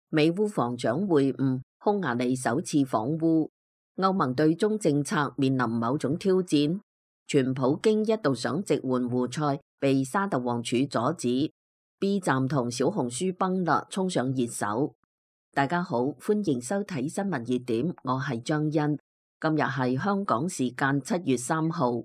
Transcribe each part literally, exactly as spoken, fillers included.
美烏防長會晤，匈牙利首次訪烏。歐盟對中政策面臨某種挑戰。全普京一度想直換胡塞，被沙特王儲阻止。B 站同小紅書崩啦，衝上熱搜。大家好，歡迎收睇新聞熱點，我係張欣。今日係香港時間七月三號，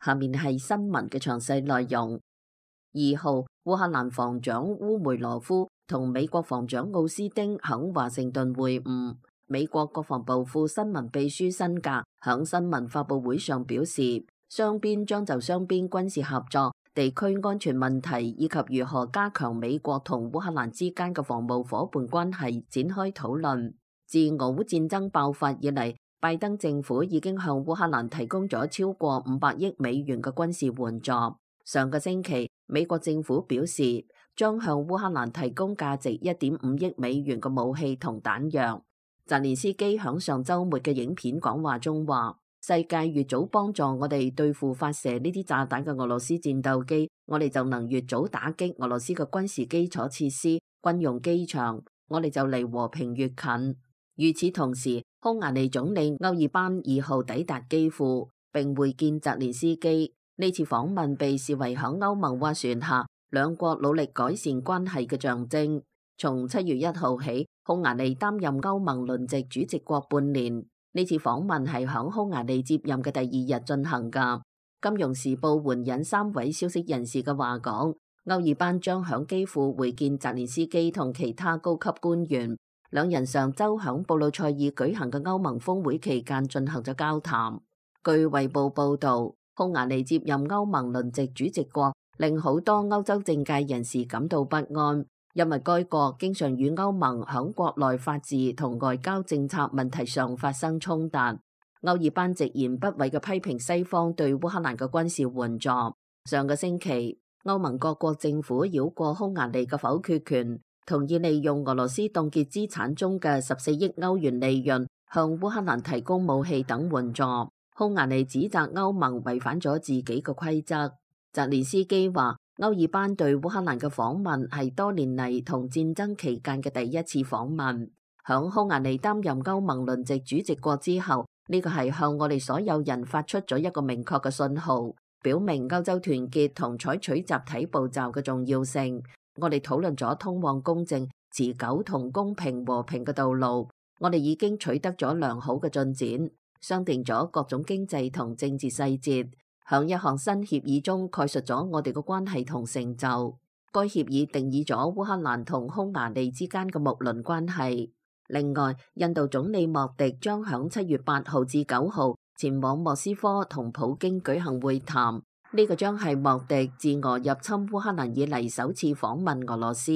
下面係新聞嘅詳細內容。二號，烏克蘭防長烏梅羅夫同美國防長奧斯汀響華盛頓會晤。美國國防部副新聞秘書辛格響新聞發佈會上表示，雙邊將就雙邊軍事合作、地區安全問題以及如何加強美國同烏克蘭之間嘅防務夥伴關係展開討論。自俄烏戰爭爆發以嚟，拜登政府已經向烏克蘭提供咗超過五百億美元嘅軍事援助。上個星期，美國政府表示將向烏克蘭提供價值一點五億美元嘅武器同彈藥。澤連斯基響上週末嘅影片講話中話，世界越早幫助我哋對付發射呢啲炸彈嘅俄羅斯戰鬥機，我哋就能越早打擊俄羅斯嘅軍事基礎設施、軍用機場，我哋就離和平越近。與此同時，匈牙利總理歐爾班二號抵達基輔並會見澤連斯基。呢次訪問被視為響歐盟斡旋下兩國努力改善關係嘅象徵。從七月一號起，匈牙利擔任歐盟輪值主席國半年。呢次訪問係響匈牙利接任嘅第二日進行㗎。金融時報援引三位消息人士嘅話講，歐爾班將響基輔會見澤連斯基同其他高級官員。兩人上週響布魯塞爾舉行嘅歐盟峰會期間進行咗交談。據衛報報導，匈牙利接任歐盟輪值主席國，令好多歐洲政界人士感到不安。因為該國經常與歐盟響國內法治同外交政策問題上發生衝突。歐爾班直言不諱嘅批評西方對烏克蘭嘅軍事援助。上個星期，歐盟各國政府繞過匈牙利嘅否決權，同意利用俄羅斯凍結資產中嘅十四億歐元利潤，向烏克蘭提供武器等援助。匈牙利指責歐盟違反咗自己嘅規則。澤連斯基話，歐爾班對烏克蘭嘅訪問係多年嚟同戰爭期間嘅第一次訪問。響匈牙利擔任歐盟輪值主席國之後，呢個係向我哋所有人發出咗一個明確嘅信號，表明歐洲團結同採取集體步驟嘅重要性。我哋討論咗通往公正、持久同公平和平嘅道路。我哋已經取得咗良好嘅進展，商定咗各種經濟同政治細節。響一項新協議中概述咗我哋嘅關係同成就。該協議定義咗烏克蘭同匈牙利之間嘅睦鄰關係。另外，印度總理莫迪將響七月八號至九號前往莫斯科同普京舉行會談。呢、這個將係莫迪自俄入侵烏克蘭以嚟首次訪問俄羅斯。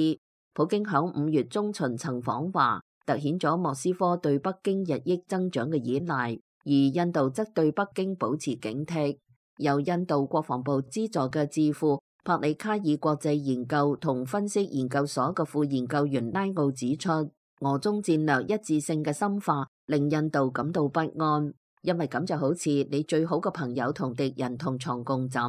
普京響五月中旬曾訪華，凸顯咗莫斯科對北京日益增長嘅依賴，而印度則對北京保持警惕。由印度國防部資助嘅智庫帕里卡爾國際研究同分析研究所嘅副研究員拉奧指出，俄中戰略一致性嘅深化令印度感到不安，因為咁就好似你最好嘅朋友同敵人同床共枕。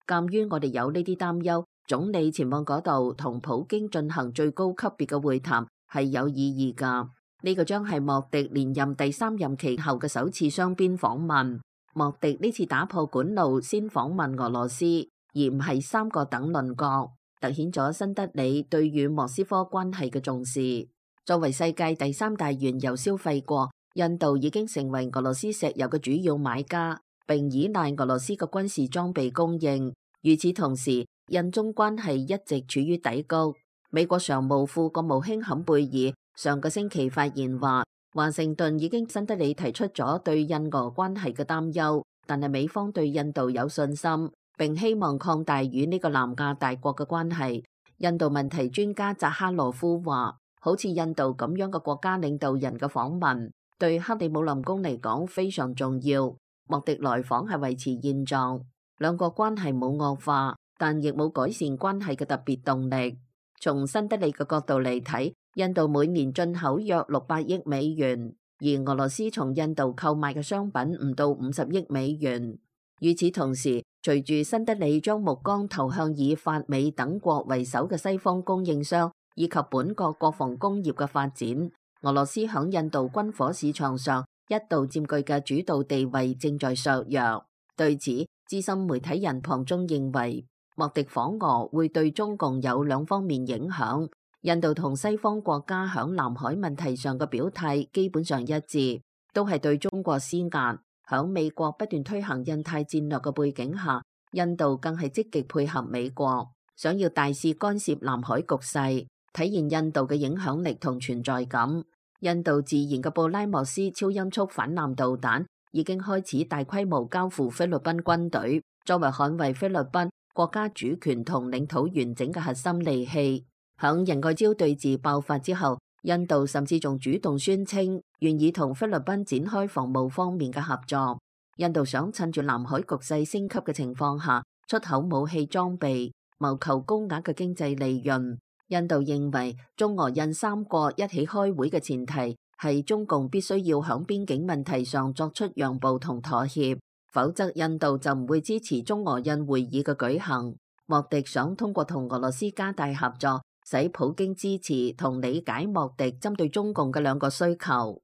鑑於我哋有呢啲擔憂，總理前往嗰度同普京進行最高級別嘅會談係有意義㗎。呢、這個將係莫迪連任第三任期後嘅首次雙邊訪問。莫迪呢次打破管路，先訪問俄羅斯，而唔係三個等鄰國，凸顯咗新德里對與莫斯科關係嘅重視。作為世界第三大原油消費國，印度已經成為俄羅斯石油嘅主要買家，並依賴俄羅斯嘅軍事裝備供應。與此同時，印中關係一直處於低谷。美國常務副國務卿坎貝爾上個星期發言話，華盛頓已經新德里提出咗對印俄關係嘅擔憂，但係美方對印度有信心，並希望擴大與呢個南亞大國嘅關係。印度問題專家扎哈羅夫話，好似印度咁樣嘅國家領導人嘅訪問，對克里姆林宮嚟講非常重要。莫迪來訪係維持現狀，兩國關係冇惡化，但亦冇改善關係嘅特別動力。從新德里嘅角度嚟睇，印度每年進口約六百億美元，而俄羅斯從印度購買嘅商品唔到五十億美元。與此同時，隨住新德里將目光投向以法美等國為首嘅西方供應商，以及本國國防工業嘅發展。俄羅斯響印度軍火市場上一度佔據嘅主導地位正在削弱。對此，資深媒體人龐中認為，莫迪訪俄會對中共有兩方面影響。印度同西方國家響南海問題上嘅表態基本上一致，都係對中國施壓。響美國不斷推行印太戰略嘅背景下，印度更係積極配合美國，想要大肆干涉南海局勢，體現印度嘅影響力同存在感。印度自研嘅布拉莫斯超音速反艦導彈已經開始大規模交付菲律賓軍隊，作為捍衛菲律賓國家主權同領土完整嘅核心利器。響仁愛礁對峙爆發之後，印度甚至仲主動宣稱願意同菲律賓展開防務方面嘅合作。印度想趁住南海局勢升級嘅情況下，出口武器裝備，謀求高額嘅經濟利潤。印度認為中俄印三國一起開會嘅前提係中共必須要響邊境問題上作出讓步同妥協，否則印度就唔會支持中俄印會議嘅舉行。莫迪想通過同俄羅斯加大合作，使普京支持同理解莫迪針對中共嘅兩個需求。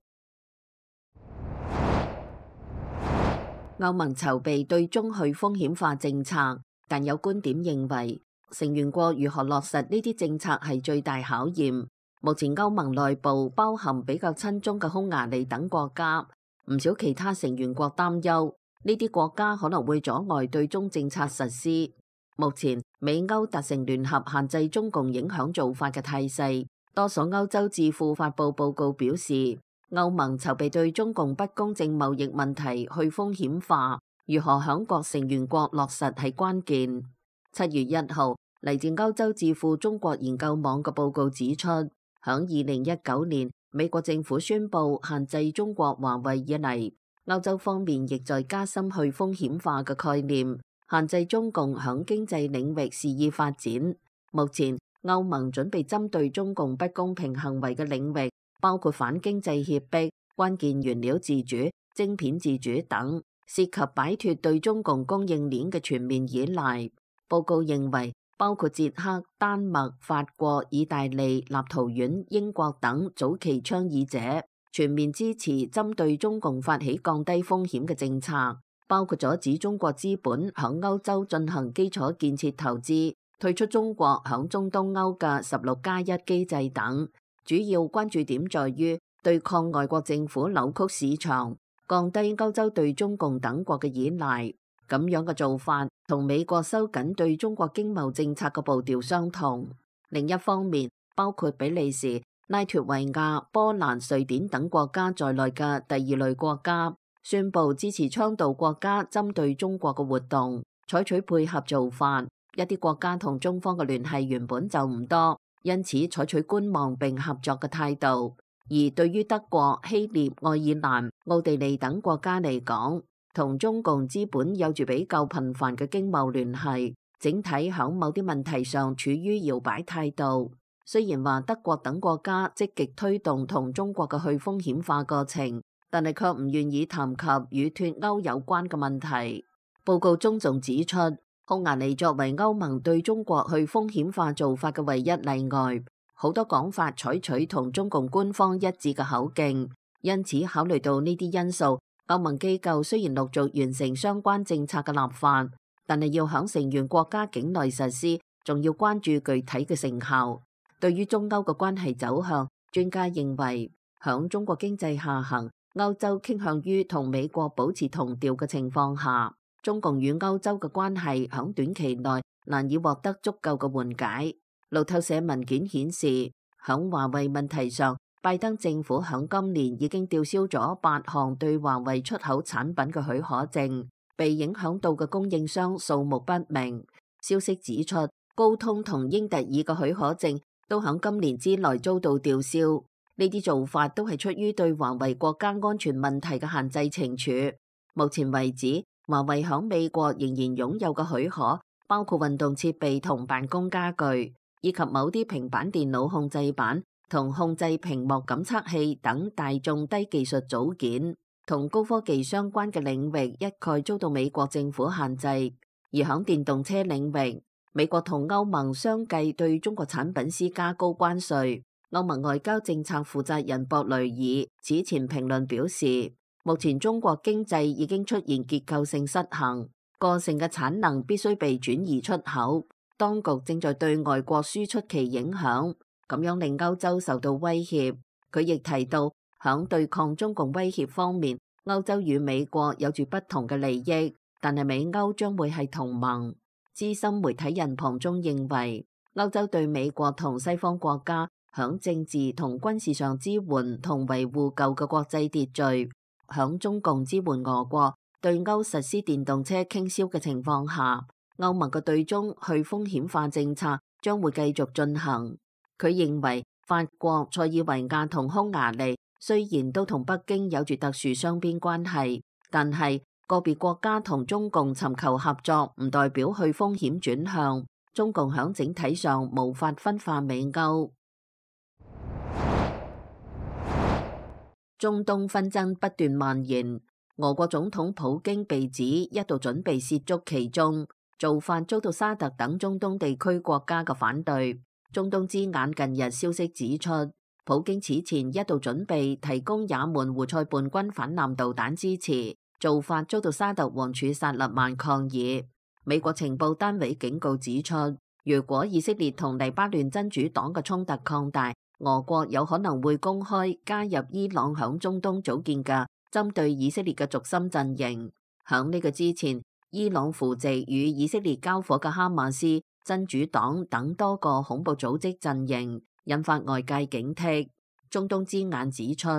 歐盟籌備對中去風險化政策，但有觀點認為，成員國如何落實呢啲政策係最大考驗。目前歐盟內部包含比較親中嘅匈牙利等國家，唔少其他成員國擔憂呢啲國家可能會阻礙對中政策實施。目前美歐達成聯合限制中共影響做法嘅態勢，多所歐洲智庫發布報告表示，歐盟籌備對中共不公正貿易問題去風險化，如何響各成員國落實係關鍵。七月一號，嚟自歐洲智庫中國研究網嘅報告指出，響二零一九年美國政府宣布限制中國華為以嚟，歐洲方面亦在加深去風險化嘅概念，限制中共響經濟領域肆意發展。目前歐盟準備針對中共不公平行為嘅領域，包括反經濟脅迫、關鍵原料自主、晶片自主等，涉及擺脫對中共供應鏈嘅全面依賴。報告認為，包括捷克、丹麥、法國、意大利、立陶宛、英國等早期倡議者全面支持針對中共發起降低風險嘅政策，包括阻止中國資本響歐洲進行基礎建設投資、退出中國響中東歐嘅十六加一機制等。主要關注點在於對抗外國政府扭曲市場，降低歐洲對中共等國嘅依賴。咁樣嘅做法同美國收緊對中國經貿政策嘅步調相同。另一方面，包括比利時、拉脫維亞、波蘭、瑞典等國家在內嘅第二類國家宣布支持倡導國家針對中國嘅活動，採取配合做法。一啲國家同中方嘅聯繫原本就唔多，因此採取觀望並合作嘅態度。而對於德國、希臘、愛爾蘭、奧地利等國家嚟講，同中共資本有住比較頻繁嘅經貿聯繫，整體響某啲問題上處於搖擺態度。雖然話德國等國家積極推動同中國嘅去風險化過程，但係卻唔願意談及與脫歐有關嘅問題。報告中仲指出，匈牙利作為歐盟對中國去風險化做法嘅唯一例外，好多講法採取同中共官方一致嘅口徑。因此考慮到呢啲因素，歐盟機構雖然陸續完成相關政策嘅立法，但係要響成員國家境內實施，仲要關注具體嘅成效。對於中歐嘅關係走向，專家認為響中國經濟下行、歐洲傾向於同美國保持同調嘅情況下，中共與歐洲嘅關係響短期內難以獲得足夠嘅緩解。路透社文件顯示，響華為問題上，拜登政府響今年已經吊銷咗八項對華為出口產品嘅許可證，被影響到嘅供應商數目不明。消息指出，高通同英特爾嘅許可證都響今年之內遭到吊銷。呢啲做法都係出於對華為國家安全問題嘅限制懲處。目前為止，華為響美國仍然擁有嘅許可包括運動設備同辦公家具，以及某啲平板電腦控制板同控制屏幕感測器等大眾低技術組件，同高科技相關嘅領域一概遭到美國政府限制。而響電動車領域，美國同歐盟相繼對中國產品施加高關稅。歐盟外交政策負責人博雷爾此前評論表示，目前中國經濟已經出現結構性失衡，過剩嘅產能必須被轉移出口，當局正在對外國輸出其影響，咁樣令歐洲受到威脅。佢亦提到，響對抗中共威脅方面，歐洲與美國有住不同嘅利益，但係美歐將會係同盟。資深媒體人龐中認為，歐洲對美國同西方國家響政治同軍事上支援同維護舊嘅國際秩序，響中共支援俄國對歐實施電動車傾銷嘅情況下，歐盟嘅對中去風險化政策將會繼續進行。佢認為法國、塞爾維亞同匈牙利雖然都同北京有住特殊雙邊關係，但係個別國家同中共尋求合作唔代表去風險轉向。中共響整體上無法分化美歐。中東紛爭不斷蔓延，俄國總統普京被指一度準備涉足其中，做法遭到沙特等中東地區國家嘅反對。中東之眼近日消息指出，普京此前一度準備提供也門胡塞叛軍反艦導彈支持，做法遭到沙特王儲薩勒曼抗議。美國情報單位警告指出，如果以色列同黎巴嫩真主黨嘅衝突擴大，俄國有可能會公開加入伊朗響中東組建嘅針對以色列嘅軸心陣營。響呢個之前，伊朗扶植與以色列交火嘅哈馬斯、真主黨等多個恐怖組織陣營，引發外界警惕。中東之眼指出，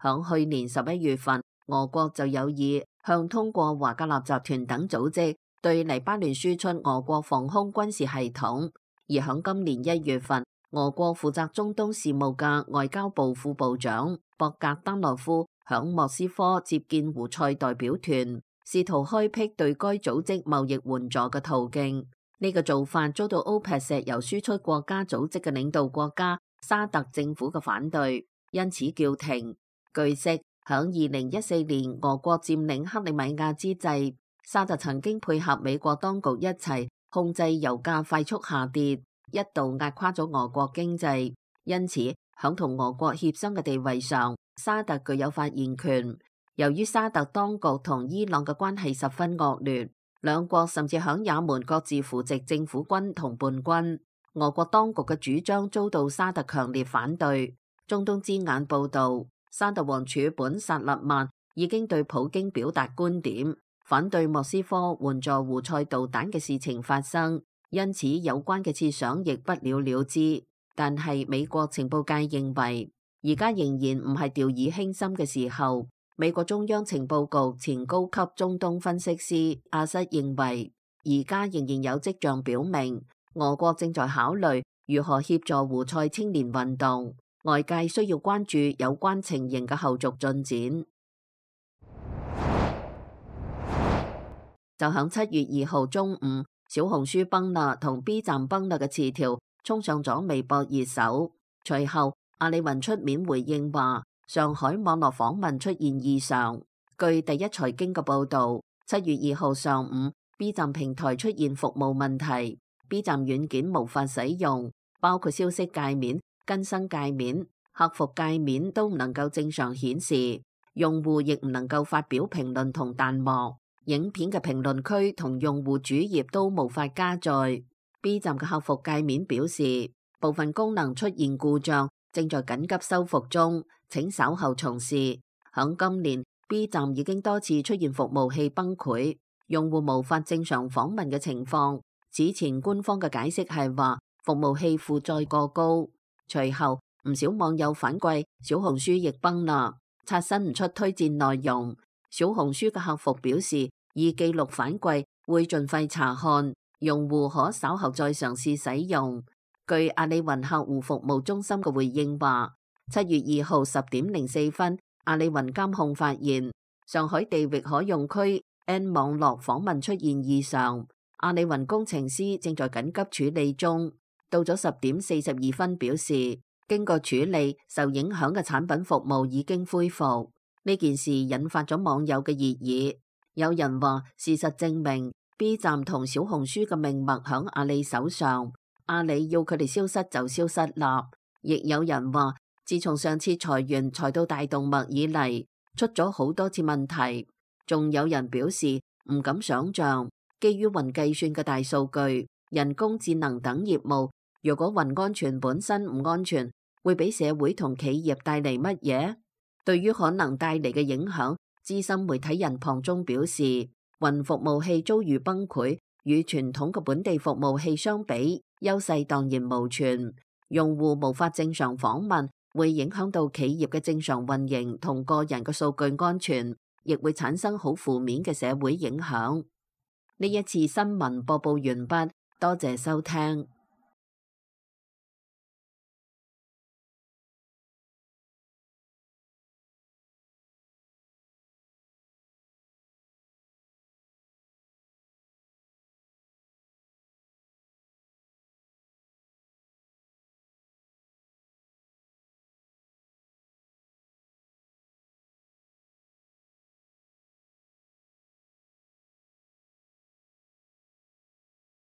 響去年十一月份，俄國就有意向通過華格納集團等組織對黎巴嫩輸出俄國防空軍事系統，而響今年一月份，俄國負責中東事務嘅外交部副部長博格丹諾夫響莫斯科接見胡塞代表團，試圖開闢對該組織貿易援助嘅途徑。呢個做法遭到 OPEC 石油輸出國家組織嘅領導國家沙特政府嘅反對，因此叫停。據悉，響二零一四年俄國佔領克里米亞之際，沙特曾經配合美國當局一齊控制油價快速下跌，一度壓垮咗俄國經濟。因此，響同俄國協商嘅地位上，沙特具有發言權。由於沙特當局同伊朗嘅關係十分惡劣，兩國甚至響也門各自扶植政府軍同叛軍。俄國當局嘅主張遭到沙特強烈反對。中東之眼報道，沙特王儲本薩勒曼已經對普京表達觀點，反對莫斯科援助胡塞導彈嘅事情發生，因此有關嘅設想亦不了了之。但係美國情報界認為，而家仍然唔係掉以輕心嘅時候。美國中央情報局前高級中東分析師阿瑟認為，而家仍然有跡象表明，俄國正在考慮如何協助胡塞青年運動，外界需要關注有關情形嘅後續進展。就響七月二號中午，小紅書崩啦同 B 站崩啦嘅詞條衝上咗微博熱搜，隨後阿里雲出面回應話，上海網絡訪問出現異常。據第一財經嘅報導，七月二號上午 ，B 站平台出現服務問題 ，B 站軟件無法使用，包括消息界面、更新界面、客服界面都唔能夠正常顯示，用戶亦唔能夠發表評論同彈幕，影片嘅評論區同用戶主頁都無法加載。B 站嘅客服界面表示，部分功能出現故障，正在緊急修復中，請稍後從事。響今年 B 站已經多次出現服務器崩潰，用戶無法正常訪問嘅情況。此前官方嘅解釋係話服務器負載過高。隨後唔少網友反饋小紅書亦崩啦，刷新唔出推薦內容。小紅書嘅客服表示已記錄反饋，會盡快查看，用戶可稍後再嘗試使用。據阿里雲客戶服務中心嘅回應話，七月二號十點零四分，阿里雲監控發現上海地域可用區 N 網絡訪問出現異常，阿里雲工程師正在緊急處理中。到咗十點四十二分，表示經過處理，受影響嘅產品服務已經恢復。呢件事引發咗網友嘅熱議，有人話事實證明 B 站同小紅書嘅命脈響阿里手上，阿里要佢哋消失就消失啦。亦有人話，自從上次裁員裁到大動脈以嚟，出咗好多次問題。仲有人表示唔敢想象，基於雲計算嘅大數據、人工智能等業務，如果雲安全本身唔安全，會俾社會同企業帶嚟乜嘢？對於可能帶嚟嘅影響，資深媒體人龐中表示，雲服務器遭遇崩潰，與傳統嘅本地服務器相比，優勢蕩然無存。用戶無法正常訪問，會影響到企業嘅正常運營同個人嘅數據安全，亦會產生好負面嘅社會影響。呢一次新聞播報完畢，多謝收聽。